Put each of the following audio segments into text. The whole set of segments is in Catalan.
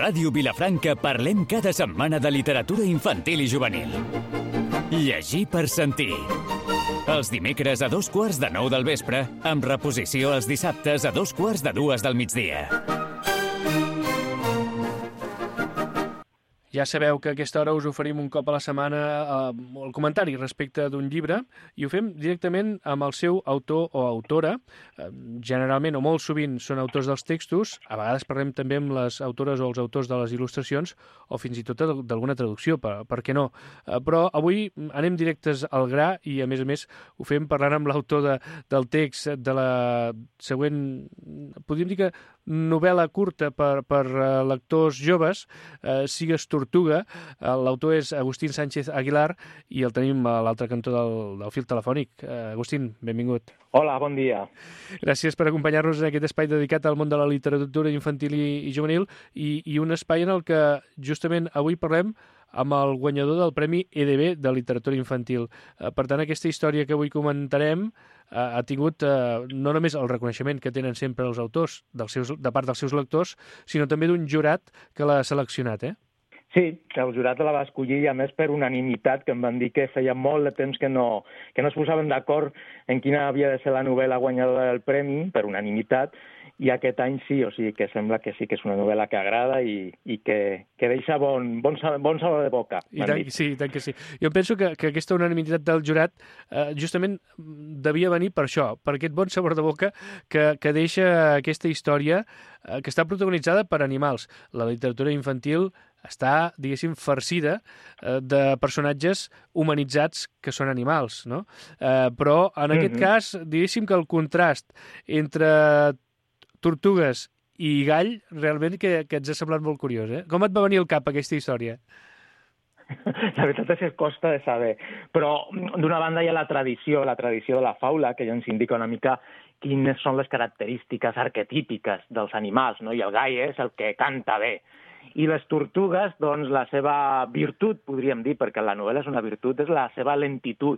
Ràdio Vilafranca parlem cada setmana de literatura infantil i juvenil. Llegir per sentir. Els dimecres a 2:15 del vespre, amb reposició els dissabtes a 2:45 del migdia. Ja sabeu que a aquesta hora us oferim un cop a la setmana el comentari respecte d'un llibre i ho fem directament amb el seu autor o autora. Generalment o molt sovint són autors dels textos, a vegades parlem també amb les autores o els autors de les il·lustracions o fins i tot d'alguna traducció, per què no? Però avui anem directes al gra i a més ho fem parlant amb l'autor del text de la següent, podríem dir que novel·la curta per lectors joves, Sigues Tortuga. L'autor és Agustín Sánchez Aguilar i el tenim a l'altre cantó del fil telefònic. Agustín, benvingut. Hola, bon dia. Gràcies per acompanyar-nos en aquest espai dedicat al món de la literatura infantil i juvenil i un espai en el que justament avui parlem amb el guanyador del Premi EDB de literatura infantil. Per tant, aquesta història que avui comentarem ha tingut no només el reconeixement que tenen sempre els autors de part dels seus lectors, sinó també d'un jurat que l'ha seleccionat, eh? Sí, el jurat la va escollir, a més, per unanimitat, que em van dir que feia molt de temps que no es posaven d'acord en quina havia de ser la novel·la guanyadora del premi, per unanimitat, i aquest any sí, o sigui que sembla que sí que és una novel·la que agrada i que deixa bon sabor de boca. I tant que sí. Jo penso que aquesta unanimitat del jurat justament devia venir per això, per aquest bon sabor de boca que deixa aquesta història que està protagonitzada per animals. La literatura infantil està, diguéssim, farcida de personatges humanitzats que són animals, no? Però en aquest cas, diguéssim que el contrast entre tortugues i gall, realment que ens ha semblat molt curiós, eh? Com et va venir al cap aquesta història? La veritat és que costa de saber, però d'una banda hi ha la tradició de la faula, que ja ens indica una mica quines són les característiques arquetípiques dels animals, no? I el gall és el que canta bé. I les tortugues, doncs, la seva virtut, podríem dir, perquè la novel·la és una virtut, és la seva lentitud.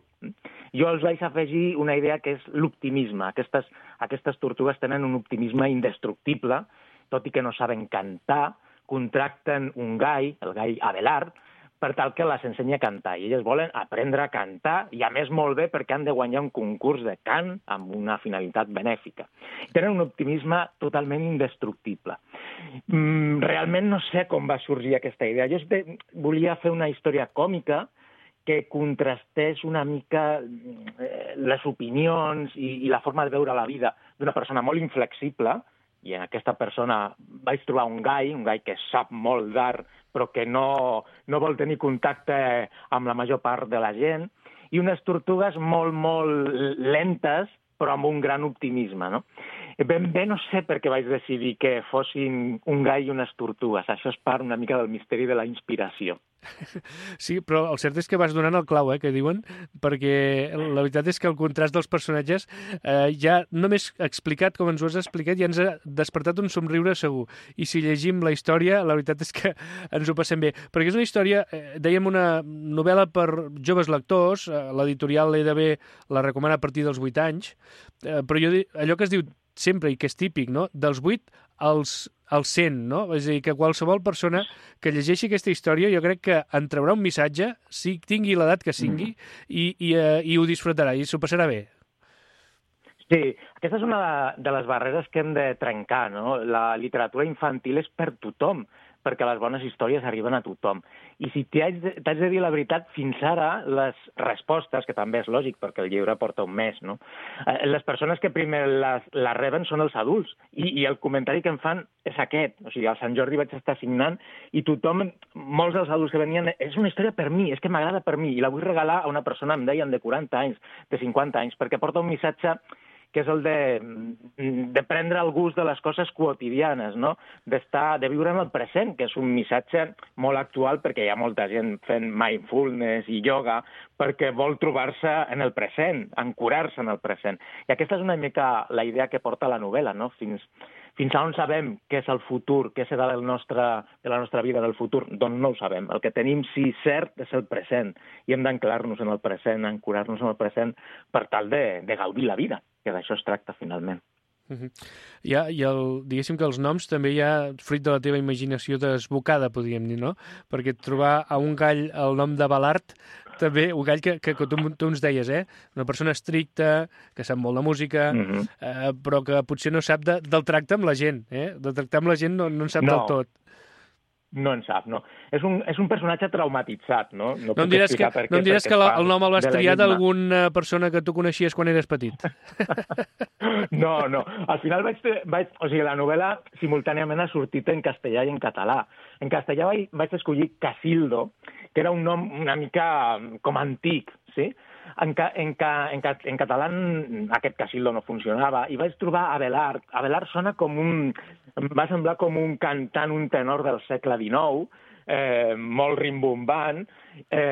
Jo els vaig afegir una idea que és l'optimisme. Aquestes tortugues tenen un optimisme indestructible, tot i que no saben cantar, contracten un gall, el gall Abelard, per tal que les ensenya a cantar. I elles volen aprendre a cantar, i a més molt bé perquè han de guanyar un concurs de cant amb una finalitat benèfica. Tenen un optimisme totalment indestructible. Realment no sé com va sorgir aquesta idea. Jo volia fer una història còmica que contrastés una mica les opinions i la forma de veure la vida d'una persona molt inflexible, i en aquesta persona vaig trobar un gall que sap molt d'art, però que no vol tenir contacte amb la major part de la gent, i unes tortugues molt, molt lentes, però amb un gran optimisme, no? Ben bé no sé per què vaig decidir que fossin un gall i unes tortugues. Això és part una mica del misteri de la inspiració. Sí, però el cert és que vas donant el clau, que diuen, perquè la veritat és que el contrast dels personatges ja només explicat com ens ho has explicat ja ens ha despertat un somriure segur. I si llegim la història, la veritat és que ens ho passem bé. Perquè és una història, dèiem, una novel·la per joves lectors, l'editorial EDB la recomana a partir dels 8 anys, però allò que es diu sempre i que és típic, no? Dels 8 als 100, no? És a dir, que qualsevol persona que llegeixi aquesta història jo crec que en traurà un missatge, si tingui l'edat que sigui, i ho disfrutarà, i s'ho passarà bé. Sí, aquesta és una de les barreres que hem de trencar, no? La literatura infantil és per tothom, perquè les bones històries arriben a tothom. I si t'haig de dir la veritat, fins ara les respostes, que també és lògic perquè el llibre porta un mes, no? Les persones que primer les reben són els adults, i el comentari que em fan és aquest. O sigui, al Sant Jordi vaig estar signant i tothom, molts dels adults que venien, és una història per mi, és que m'agrada per mi, i la vull regalar a una persona, em deien, de 40 anys, de 50 anys, perquè porta un missatge que és el de prendre el gust de les coses quotidianes, no? De viure en el present, que és un missatge molt actual perquè hi ha molta gent fent mindfulness i yoga perquè vol trobar-se en el present, ancorar-se en el present. I aquesta és una mica la idea que porta la novel·la, no? Fins a on sabem què és el futur, què serà de la nostra vida del futur? Doncs no ho sabem. El que tenim, sí, cert, és el present. I hem d'anclar-nos en el present, ancorar-nos en el present per tal de gaudir la vida, que d'això es tracta finalment. Diguéssim que els noms també hi ha fruit de la teva imaginació desbocada, podríem dir, no? Perquè trobar a un gall el nom de Balart, també, un gall que tu ens deies, una persona estricta, que sap molt de música, però que potser no sap del tracte amb la gent, De tractar amb la gent no en sap del tot. No en sap, no. És un personatge traumatitzat, no? No em diràs que el nom el vas triar d'alguna persona que tu coneixies quan eres petit. No. Al final o sigui, la novel·la simultàniament ha sortit en castellà i en català. En castellà vaig escollir Casildo, que era un nom una mica com antic, sí? En català aquest Casildo no funcionava i vaig trobar Abelard. Abelard sona em va semblar com un cantant, un tenor del segle XIX, molt rimbombant,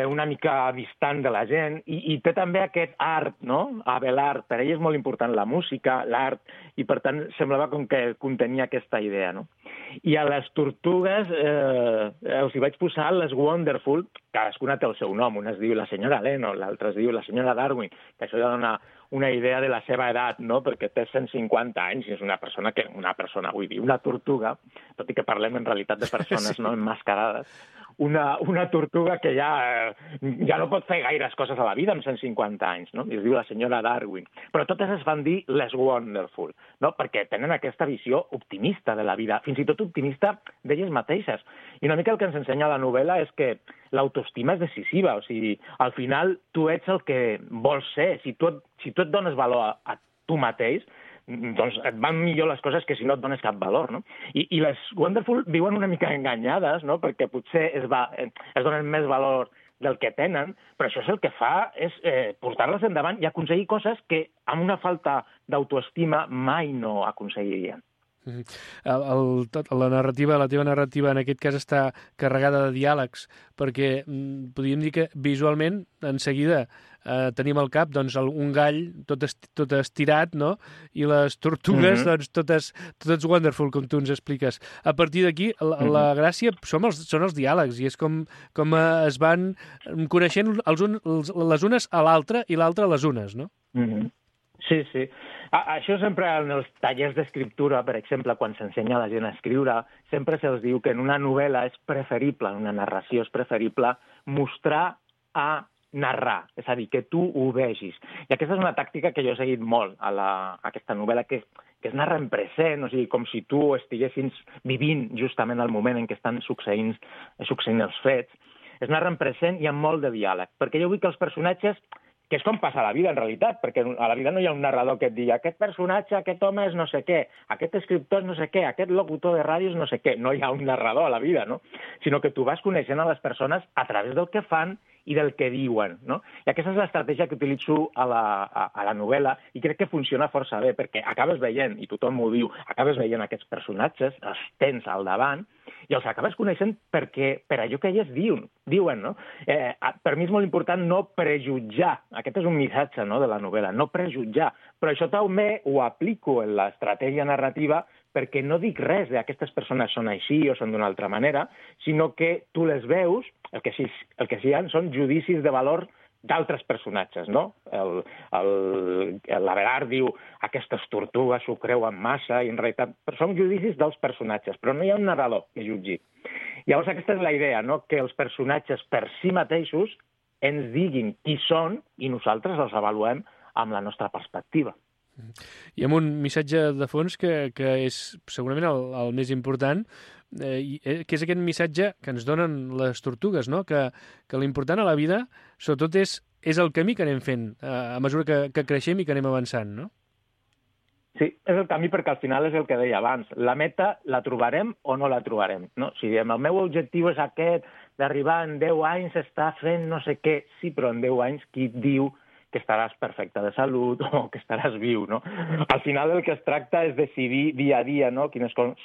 una mica distant de la gent, i té també aquest art, no? Abelard, per ell és molt important la música, l'art, i per tant semblava com que contenia aquesta idea, no? I a les tortugues els hi vaig posar les Wonderful, cadascuna té el seu nom, una es diu la senyora Leno, l'altra es diu la senyora Darwin, que això ja dona una idea de la seva edat, no? Perquè té 150 anys i és una persona, vull dir, una tortuga, tot i que parlem en realitat de persones no emmascarades, una tortuga que ja no pot fer gaires coses a la vida amb 150 anys, no? I es diu la senyora Darwin. Però totes es van dir les Wonderful, no? Perquè tenen aquesta visió optimista de la vida, fins i tot optimista d'elles mateixes. I una mica el que ens ensenya la novel·la és que l'autoestima és decisiva, o sigui, al final tu ets el que vols ser. Si tu et dones valor a tu mateix, doncs et van millor les coses que si no et dones cap valor, no? I les Wonderful viuen una mica enganyades, no? Perquè potser es donen més valor del que tenen, però això és el que fa és portar-les endavant i aconseguir coses que amb una falta d'autoestima mai no aconseguirien. La teva narrativa en aquest cas està carregada de diàlegs, perquè podríem dir que visualment en seguida tenim al cap doncs, un gall tot estirat, no? I les tortugues doncs, totes wonderful, com tu ens expliques. A partir d'aquí, la gràcia són els diàlegs, i és com es van coneixent les unes a l'altra i l'altra a les unes, no? Sí. Això sempre en els tallers d'escriptura, per exemple, quan s'ensenya a la gent a escriure, sempre se'ls diu que en una novel·la és preferible, en una narració és preferible mostrar a narrar, és a dir, que tu ho vegis. I aquesta és una tàctica que jo he seguit molt a aquesta novel·la, que es narra en present, o sigui, com si tu estiguessis vivint justament el moment en què estan succeint els fets. Es narra en present i amb molt de diàleg, perquè jo vull que els personatges, que és com passa a la vida, en realitat, perquè a la vida no hi ha un narrador que et digui aquest personatge, aquest home és no sé què, aquest escriptor és no sé què, aquest locutor de ràdio és no sé què. No hi ha un narrador a la vida, no? Sinó que tu vas coneixent a les persones a través del que fan i del que diuen, no? I aquesta és l'estratègia que utilitzo a la novel·la i crec que funciona força bé, perquè acabes veient, i tothom m'ho diu, acabes veient aquests personatges, els tens al davant, i els acabes coneixent per allò que ells diuen, no? Per mi és molt important no prejutjar. Aquest és un missatge, no, de la novel·la, no prejutjar. Però això també ho aplico en l'estratègia narrativa perquè no dic res d'aquestes persones són així o són d'una altra manera, sinó que tu les veus, el que sí hi ha són judicis de valor d'altres personatges, no? L'Abelard diu aquestes tortugues s'ho creuen massa, i en realitat són judicis dels personatges, però no hi ha un narrador que jutgi. Llavors aquesta és la idea, no? Que els personatges per si mateixos ens diguin qui són i nosaltres els avaluem amb la nostra perspectiva. I amb un missatge de fons que és segurament el més important, que és aquest missatge que ens donen les tortugues, no? Que l'important a la vida, sobretot, és el camí que anem fent a mesura que creixem i que anem avançant, no? Sí, és el camí perquè al final és el que deia abans. La meta la trobarem o no la trobarem, no? Si diem el meu objectiu és aquest, d'arribar en 10 anys a estar fent no sé què, sí, però en 10 anys qui et diu que estaràs perfecte de salut o que estaràs viu, no? Al final el que es tracta és decidir dia a dia, no? Quines són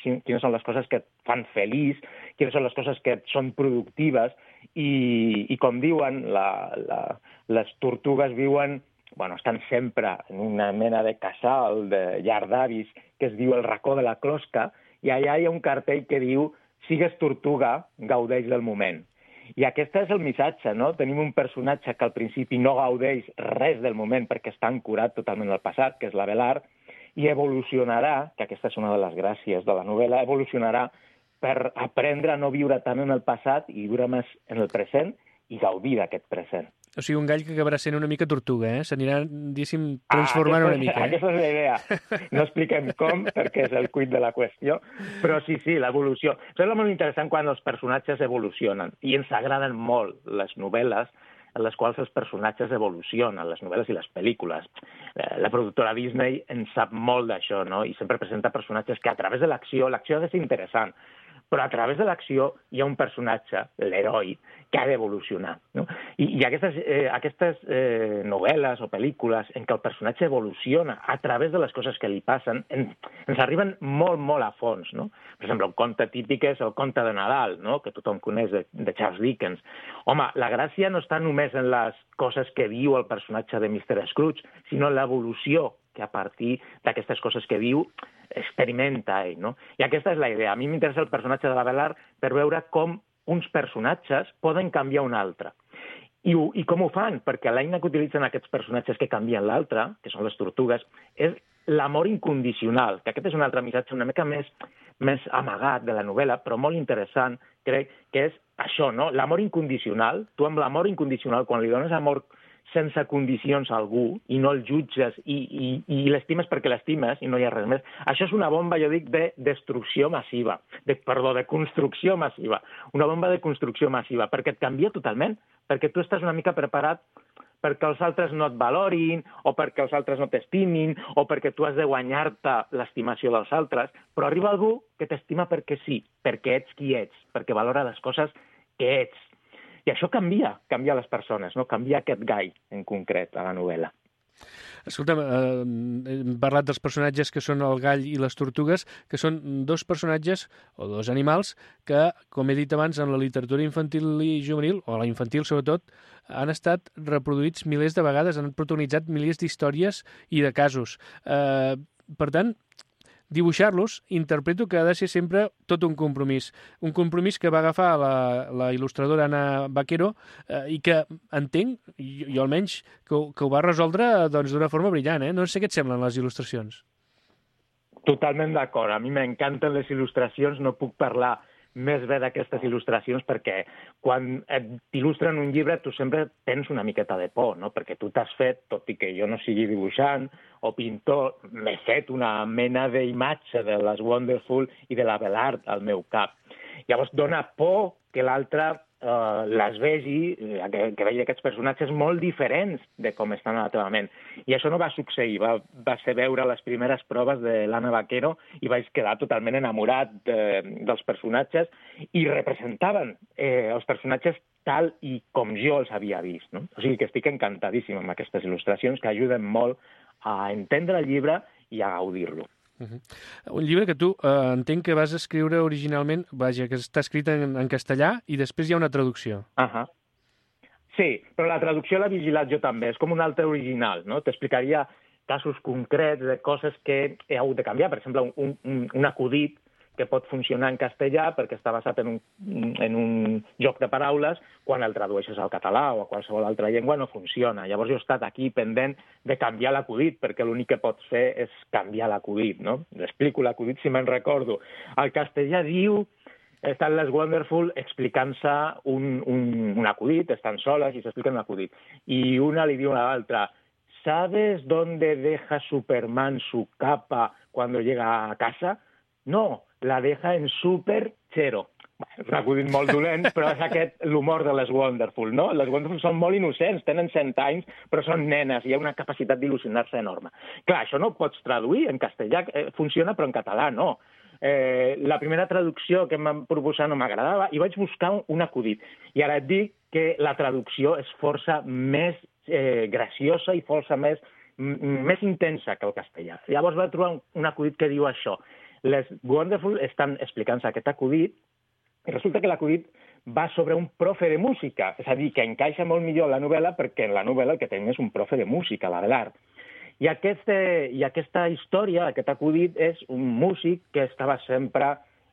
les coses que et fan feliç, quines són les coses que et són productives i com diuen, les tortugues viuen, estan sempre en una mena de casal, de llar d'avis, que es diu el racó de la closca, i allà hi ha un cartell que diu sigues tortuga, gaudeix del moment. I aquest és el missatge, no? Tenim un personatge que al principi no gaudeix res del moment perquè està ancorat totalment al passat, que és l'Abelard, i evolucionarà, que aquesta és una de les gràcies de la novel·la, evolucionarà per aprendre a no viure tant en el passat i viure més en el present i gaudir d'aquest present. O sigui, un gall que acabarà sent una mica tortuga, s'anirà, diguéssim, transformant una mica. Aquesta és la idea. No expliquem com, perquè és el quid de la qüestió, però sí, l'evolució. Això és molt interessant quan els personatges evolucionen, i ens agraden molt les novel·les en les quals els personatges evolucionen, les novel·les i les pel·lícules. La productora Disney en sap molt d'això, no? I sempre presenta personatges que a través de l'acció ha de ser interessant, però a través de l'acció hi ha un personatge, l'heroi, que ha d'evolucionar. No? I aquestes novel·les o pel·lícules en què el personatge evoluciona a través de les coses que li passen ens arriben molt, molt a fons. No? Per exemple, un conte típic és el conte de Nadal, no? Que tothom coneix, de Charles Dickens. Home, la gràcia no està només en les coses que viu el personatge de Mr. Scrooge, sinó en l'evolució que a partir d'aquestes coses que viu experimenta ell, no? I aquesta és la idea. A mi m'interessa el personatge de l'Abelard per veure com uns personatges poden canviar un altre. I com ho fan? Perquè l'eina que utilitzen aquests personatges que canvien l'altre, que són les tortugues, és l'amor incondicional, que aquest és un altre missatge una mica més amagat de la novel·la, però molt interessant, crec, que és això, no? L'amor incondicional. Tu amb l'amor incondicional, quan li dones amor sense condicions a algú i no el jutges i l'estimes perquè l'estimes i no hi ha res més. Això és una bomba, jo dic, de destrucció massiva. De construcció massiva. Una bomba de construcció massiva, perquè et canvia totalment, perquè tu estàs una mica preparat perquè els altres no et valorin, o perquè els altres no t'estimin, o perquè tu has de guanyar-te l'estimació dels altres, però arriba algú que t'estima perquè sí, perquè ets qui ets, perquè valora les coses que ets. I això canvia les persones, no? Canvia aquest gall, en concret, a la novel·la. Escolta'm, hem parlat dels personatges que són el gall i les tortugues, que són dos personatges, o dos animals, que, com he dit abans, en la literatura infantil i juvenil, o la infantil sobretot, han estat reproduïts milers de vegades, han protagonitzat milers d'històries i de casos. Per tant, dibuixar-los, interpreto que ha de ser sempre tot un compromís que va agafar la il·lustradora Ana Vaquero i que entenc, jo almenys, que ho va resoldre d'una forma brillant. No sé què et semblen les il·lustracions. Totalment d'acord. A mi m'encanten les il·lustracions, no puc parlar més bé d'aquestes il·lustracions perquè quan t'il·lustren un llibre tu sempre tens una miqueta de por, no? Perquè tu t'has fet, tot i que jo no sigui dibuixant o pintor, m'he fet una mena d'imatge de les Wonderful i de l'Abelard al meu cap. Llavors dona por que l'altre les vegi, que vegi aquests personatges molt diferents de com estan a la teva ment. I això no va succeir. Va ser veure les primeres proves de l'Anna Vaquero i vaig quedar totalment enamorat dels personatges i representaven els personatges tal i com jo els havia vist. No? O sigui que estic encantadíssim amb aquestes il·lustracions que ajuden molt a entendre el llibre i a gaudir-lo. Un llibre que tu entenc que vas escriure originalment, que està escrit en castellà i després hi ha una traducció. Sí, però la traducció l'he vigilat jo també, és com un altre original, no? T'explicaria casos concrets de coses que he hagut de canviar, per exemple, un acudit que pot funcionar en castellà perquè està basat en un joc de paraules, quan el tradueixes al català o a qualsevol altra llengua no funciona. Llavors jo he estat aquí pendent de canviar l'acudit, perquè l'únic que pots fer és canviar l'acudit, no? Explico l'acudit si me'n recordo. El castellà diu, estan les Wonderful explicant-se un acudit, estan soles i s'expliquen un acudit. I una li diu a l'altra, ¿sabes dónde deja Superman su capa cuando llega a casa? No, la deja en Superchero. És un acudit molt dolent, però és l'humor de les Wonderful, no? Les Wonderful són molt innocents, tenen 100 anys, però són nenes, i hi ha una capacitat d'il·lusionar-se enorme. Clar, això no ho pots traduir en castellà, funciona, però en català no. La primera traducció que em van proposar no m'agradava i vaig buscar un acudit. I ara et dic que la traducció és força més graciosa i força més intensa que el castellà. Llavors vaig trobar un acudit que diu això. Les Wonderful estan explicant-se aquest acudit i resulta que l'acudit va sobre un profe de música, és a dir, que encaixa molt millor la novel·la perquè en la novel·la el que tenim és un profe de música, l'Abelard. I aquesta història, aquest acudit, és un músic que estava sempre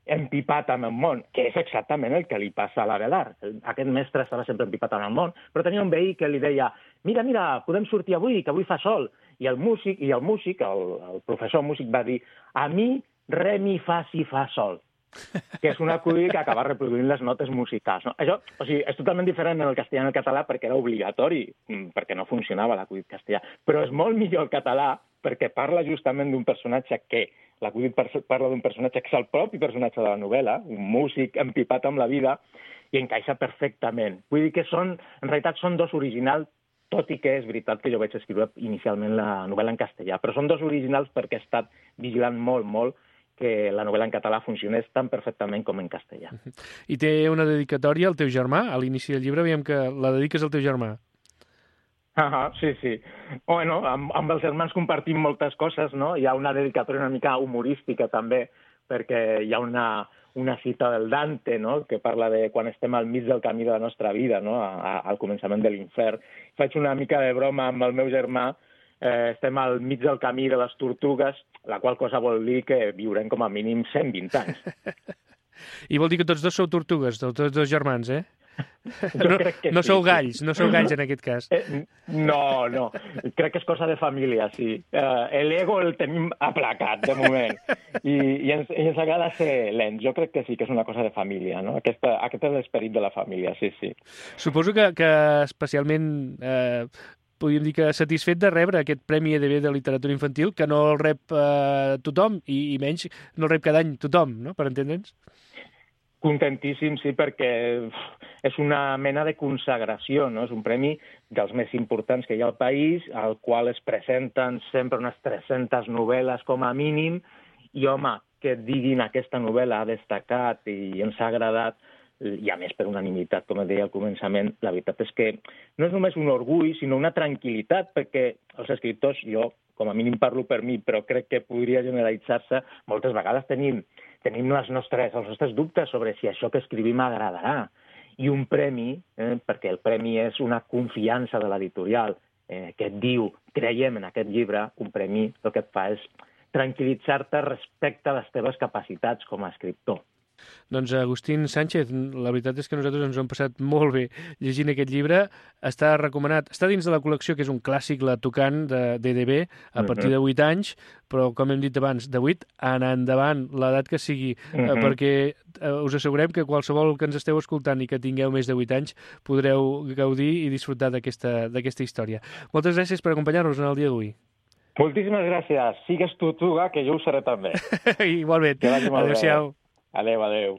empipat amb el món, que és exactament el que li passa a l'Abelard. Aquest mestre estava sempre empipat amb el món, però tenia un veí que li deia «Mira, podem sortir avui, que avui fa sol». I el professor músic va dir a mi re, mi, fa, si, fa, sol, que és un acudit que acaba reproduint les notes musicals. No? Això, és totalment diferent en el castellà i en el català perquè era obligatori, perquè no funcionava l'acudit castellà, però és molt millor el català perquè parla justament d'un personatge que l'acudit parla d'un personatge que és el propi personatge de la novel·la, un músic empipat amb la vida, i encaixa perfectament. Vull dir que en realitat són dos originals, tot i que és veritat que jo vaig escriure inicialment la novel·la en castellà, però són dos originals perquè he estat vigilant molt que la novel·la en català funcionés tan perfectament com en castellà. I té una dedicatòria al teu germà? A l'inici del llibre veiem que la dediques al teu germà. Sí. Bueno, amb els germans compartim moltes coses, no? Hi ha una dedicatòria una mica humorística també, perquè hi ha una cita del Dante, no?, que parla de quan estem al mig del camí de la nostra vida, no?, al començament de l'infern. Faig una mica de broma amb el meu germà, estem al mig del camí de les tortugues, la qual cosa vol dir que viurem com a mínim 120 anys. I vol dir que tots dos sou tortugues, tots dos germans, eh? Crec que no sou galls en aquest cas. No. Crec que és cosa de família, sí. L'ego el tenim aplacat, de moment. I ens agrada ser lents. Jo crec que sí que és una cosa de família, no? Aquest és l'esperit de la família, sí. Suposo que especialment podríem dir que satisfet de rebre aquest Premi EDB de literatura infantil, que no el rep tothom, i menys no el rep cada any tothom, no?, per entendre'ns. Contentíssim, sí, perquè és una mena de consagració, no? És un premi dels més importants que hi ha al país, al qual es presenten sempre unes 300 novel·les com a mínim, i, home, que et diguin aquesta novel·la ha destacat i ens ha agradat, i a més per unanimitat, com et deia al començament, la veritat és que no és només un orgull, sinó una tranquil·litat, perquè els escriptors, jo com a mínim parlo per mi, però crec que podria generalitzar-se, moltes vegades tenim els nostres dubtes sobre si això que escrivim agradarà. I un premi, perquè el premi és una confiança de l'editorial, que et diu, creiem en aquest llibre, un premi el que et fa és tranquil·litzar-te respecte a les teves capacitats com a escriptor. Doncs Agustín Sánchez, la veritat és que nosaltres ens ho hem passat molt bé llegint aquest llibre. Està recomanat, està dins de la col·lecció, que és un clàssic, la Tocant, d'EDB, a partir de 8 anys, però, com hem dit abans, de 8 en endavant, l'edat que sigui, perquè us assegurem que qualsevol que ens esteu escoltant i que tingueu més de 8 anys podreu gaudir i disfrutar d'aquesta història. Moltes gràcies per acompanyar-nos en el dia d'avui. Moltíssimes gràcies. Sigues tortuga, que jo ho seré també. Igualment. Adéu-siau. Adéu.